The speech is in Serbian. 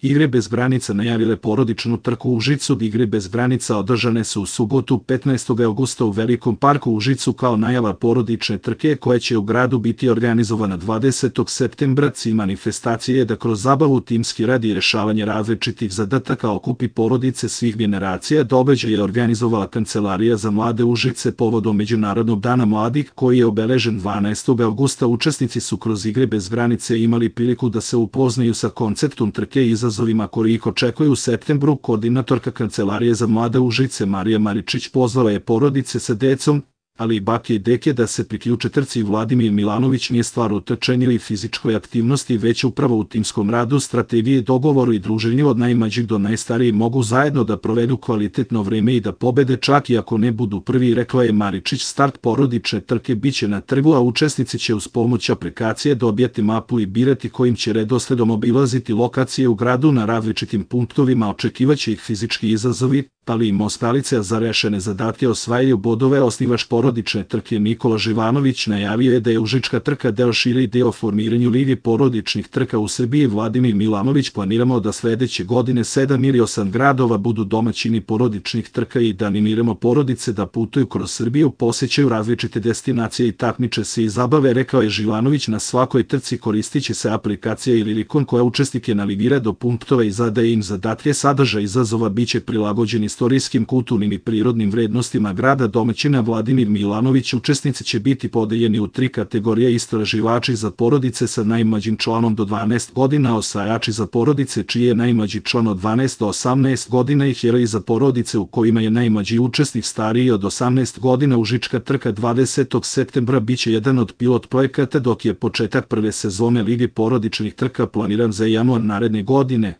Igre bez granica najavile porodičnu trku u Užicu. Igre bez granica održane su u subotu 15. augusta u Velikom parku u Užicu kao najava porodične trke koja će u gradu biti organizovana 20. septembra. Cilj manifestacije je da kroz zabavu, timski rad i rešavanje različitih zadataka okupi porodice svih generacija. Događaj je organizovala Kancelarija za mlade Užice povodom Međunarodnog dana mladih koji je obeležen 12. augusta. Učesnici su kroz Igre bez granice imali priliku da se upoznaju sa konceptom trke i izazovima koji ih očekuju u septembru. Koordinatorka Kancelarije za mlade Užice Marija Maričić pozvala je porodice sa decom, ali i bake i deke da se priključe trci. Vladimir Milanović nije stvar u trčanju ili fizičkoj aktivnosti, već upravo u timskom radu, strategiji, dogovoru i druženju. Od najmlađih do najstarijih mogu zajedno da provedu kvalitetno vreme i da pobede čak i ako ne budu prvi, rekla je Maričić. Start porodične trke biće na trgu, a učesnici će uz pomoć aplikacije dobijati mapu i birati kojim će redosledom obilaziti lokacije u gradu. Na različitim punktovima očekivaće ih fizički izazovi, ali i mostalice, a za rešene zadatke osvajaju bodove. Osnivač porodične trke Nikola Živanović najavio je da je Užička trka deo šire ideje o formiranju Lige porodičnih trka u Srbiji. Vladimir Milanović: planiramo da sledeće godine 7 ili 8 gradova budu domaćini porodičnih trka i da animiramo porodice da putuju kroz Srbiju, posećaju različite destinacije i takmiče se i zabave, rekao je Živanović. Na svakoj trci koristiće se aplikacija ili ikon koja učesnike navigira do punktova i zadaje im zadatke. Sadržaj izazova biće prilagođen istorijskim, kulturnim i prirodnim vrednostima grada domaćina. Vladimir Milanović: učesnici će biti podeljeni u 3 kategorije: istraživači za porodice sa najmlađim članom do 12 godina, osvajači za porodice čiji je najmlađi član od 12 do 18 godina i heroji za porodice u kojima je najmlađi učesnik stariji od 18 godina. Užička trka 20. septembra biće jedan od pilot projekata, dok je početak prve sezone Lige porodičnih trka planiran za januar naredne godine.